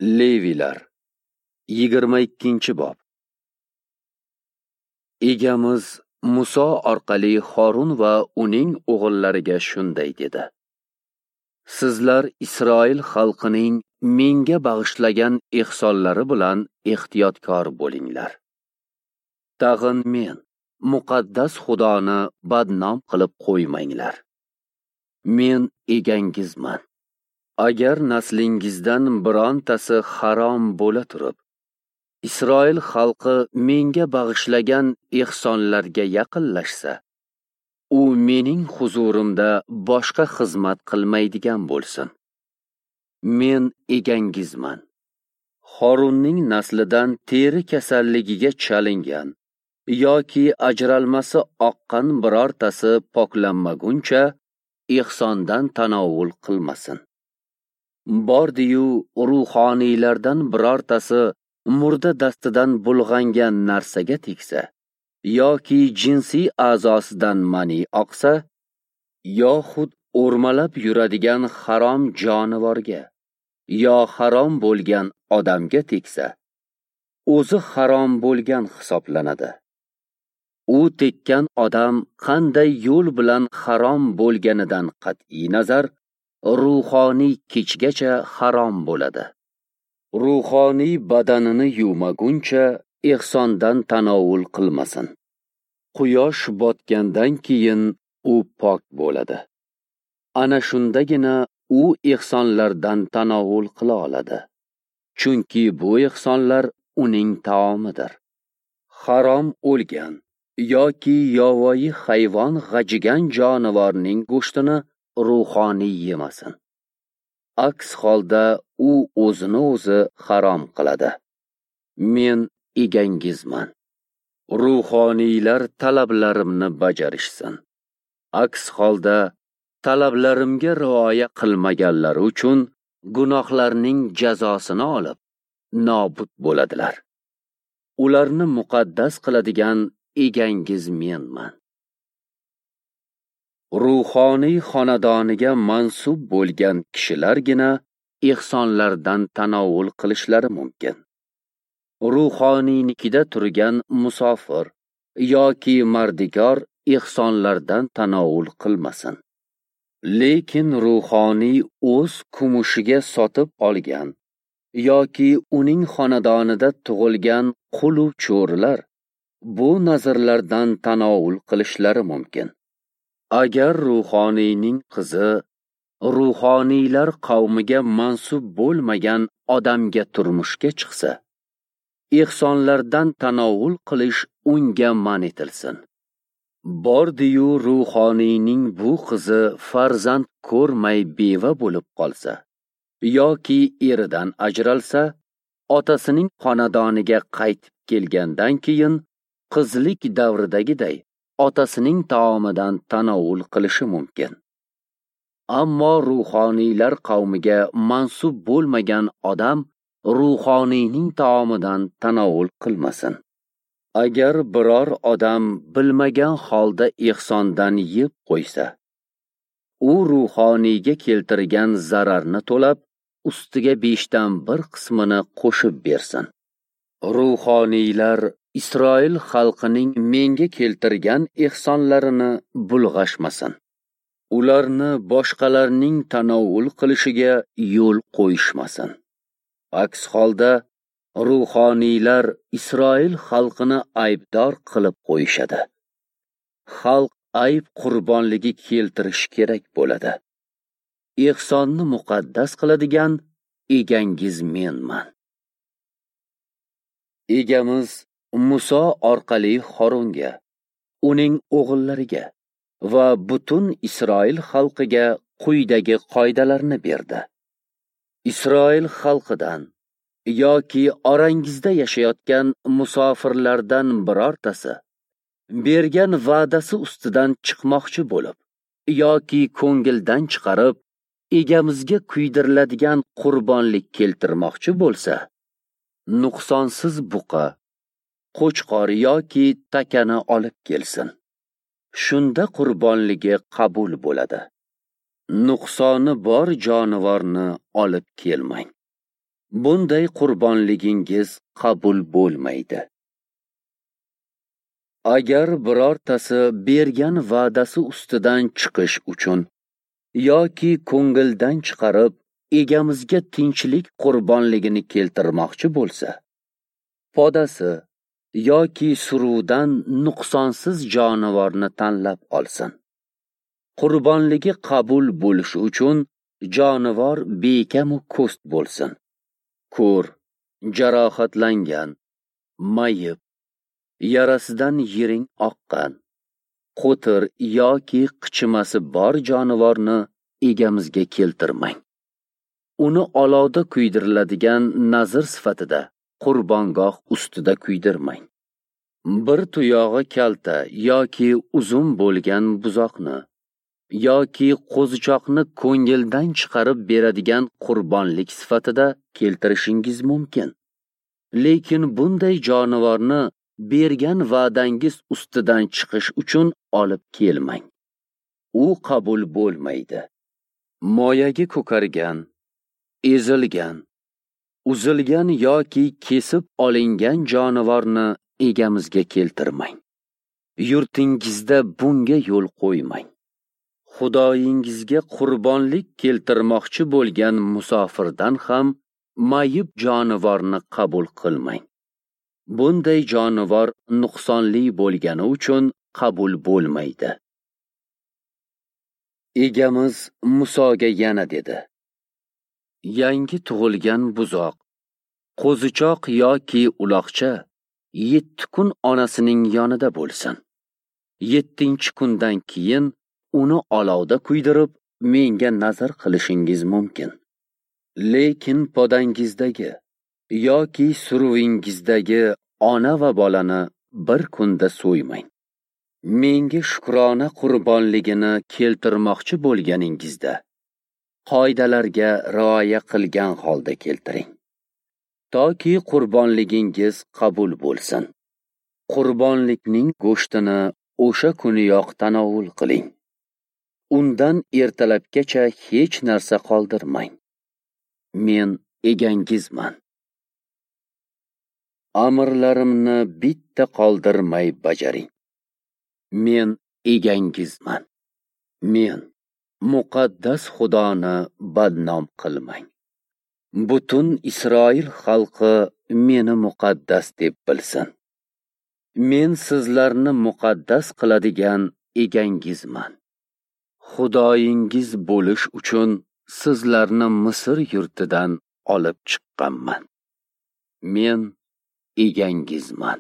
Leviylar 22-bob. Egamiz Muso orqali Horun va uning o'g'illariga shunday dedi: Sizlar Isroil xalqining menga bag'ishlagan ehsonlari bilan ehtiyotkor bo'linglar. Tag'in men, muqaddas Xudoni badnom qilib qo'ymanglar. Men egangizman. Agar naslingizdan birontasi harom bo'la turib, Isroil xalqi menga bag'ishlagan ehsonlarga yaqinlashsa, u mening huzurimda boshqa xizmat qilmaydigan bo'lsin. Men egangizman. Horunning naslidan teri kasalligiga chalingan yoki ajralmasi oqqan birortasi poklanmaguncha ehsondan tanovul qilmasin. Bordi-yu ruhoniylardan birortasi murda dastidan bulg'angan narsaga tegsa yoki jinsiy a'zosidan mani oqsa, yoxud o'rmalab yuradigan harom jonivorga yo harom bo'lgan odamga tegsa, o'zi harom bo'lgan hisoblanadi. U tekkan odam qanday yo'l bilan harom bo'lganidan qat'iy nazar, ruhoniy kechgacha harom bo'ladi. Ruhoniy badanini yuvmaguncha ehsondan tanovul qilmasin. Quyosh botgandan keyin u pok bo'ladi. Ana shundagina u ehsonlardan tanovul qila oladi. Chunki bu ehsonlar uning taomidir. Harom o'lgan yoki yovvoyi hayvon g'ajigan jonivorning go'shtini ruhoniy yemasin. Aks holda u o'zini o'zi harom qiladi. Men egangizman. Ruhoniylar talablarimni bajarishsin. Aks holda talablarimga rioya qilmaganlari uchun gunohlarning jazosini olib nobud bo'ladilar. Ularni muqaddas qiladigan egangiz menman. Ruhoniy xonadoniga mansub bo'lgan kishilargina ehsonlardan tanovul qilishlari mumkin. Ruhoniynikida turgan musofir yoki mardikor ehsonlardan tanovul qilmasin. Lekin ruhoniy o'z kumushiga sotib olgan yoki uning xonadonida tug'ilgan qul u cho'rilar bu nazrlardan tanovul qilishlari mumkin. Agar ruhoniyning qizi ruhoniylar qavmiga mansub bo'lmagan odamga turmushga chiqsa, ehsonlardan tanovul qilish unga man etilsin. Bordi-yu ruhoniyning bu qizi farzand ko'rmay beva bo'lib qolsa yoki eridan ajralsa, otasining xonadoniga qaytib kelgandan keyin qizlik davridagiday otasining taomidan tanovul qilishi mumkin. Ammo ruhoniylar qavmiga mansub bo'lmagan odam ruhoniyning taomidan tanovul qilmasin. Agar biror odam bilmagan holda ehsondan yeb qo'ysa, u ruhoniyga keltirgan zararni to'lab, ustiga 1/5 qismini qo'shib bersin. Ruhoniylar Isroil xalqining menga keltirgan ehsonlarini bulg'ashmasin. Ularni boshqalarning tanovul qilishiga yo'l qo'yishmasin. Aks holda ruhoniylar Isroil xalqini aybdor qilib qo'yishadi. Xalq ayb qurbonligi keltirish kerak bo'ladi. Ehsonni muqaddas qiladigan egangiz menman. Egamiz Muso orqali Horunga, uning o'g'illariga va butun Isroil xalqiga quyidagi qoidalarni berdi. Isroil xalqidan yoki orangizda yashayotgan musofirlardan birortasi bergan va'dasi ustidan chiqmoqchi bo'lib yoki ko'ngildan chiqarib egamizga kuydiriladigan qurbonlik keltirmoqchi bo'lsa, nuqsonsiz buqa, qo'chqor yoki takani olib kelsin. Shunda qurbonligi qabul bo'ladi. Nuqsoni bor jonivorni olib kelmang. Bunday qurbonligingiz qabul bo'lmaydi. Agar birortasi bergan va'dasi ustidan chiqish uchun yoki ko'ngildan chiqarib Egamizga tinchlik qurbonligini keltirmoqchi bo'lsa, podasi yoki suruvdan nuqsonsiz jonivorni tanlab olsin. Qurbonligi qabul bo'lishi uchun jonivor bekamu ko'st bo'lsin. Ko'r, jarohatlangan, mayib, yarasidan yiring oqqan, qo'tir yoki qichimasi bor jonivorni Egamizga keltirmang. Uni olovda kuydiriladigan nazr sifatida qurbongoh ustida kuydirmang. Bir tuyog'i kalta yoki uzun bo'lgan buzoqni yoki qo'zichoqni ko'ngildan chiqarib beradigan qurbonlik sifatida keltirishingiz mumkin. Lekin bunday jonivorni bergan va'dangiz ustidan chiqish uchun olib kelmang. U qabul bo'lmaydi. Moyagi ko'kargan, ezilgan, uzilgan yoki kesib olingan jonivorni Egamizga keltirmang. Yurtingizda bunga yo'l qo'ymang. Xudoyingizga qurbonlik keltirmoqchi bo'lgan musofirdan ham mayib jonivorni qabul qilmang. Bunday jonivor nuqsonli bo'lgani uchun qabul bo'lmaydi. Egamiz Musoga yana dedi: Yangi tug'ilgan buzoq, qo'zichoq yoki uloqcha 7 kun onasining yonida bo'lsin. 7-kundan keyin uni olovda kuydirib, menga nazar qilishingiz mumkin. Lekin podangizdagi yoki suruvingizdagi ona va bolani bir kunda so'ymang. Menga shukrona qurbonligini keltirmoqchi bo'lganingizda qoidalarga rioya qilgan holda keltiring, toki qurbonligingiz qabul bo'lsin. Qurbonlikning go'shtini o'sha kuniyoq tanovul qiling. Undan ertalabgacha hech narsa qoldirmang. Men egangizman. Amrlarimni bitta qoldirmay bajaring. Men egangizman. Men muqaddas Xudoni badnom qilmang. Butun Isroil xalqi meni muqaddas deb bilsin. Men sizlarni muqaddas qiladigan egangizman. Xudoyingiz bo'lish uchun sizlarni Misr yurtidan olib chiqqanman. Men egangizman.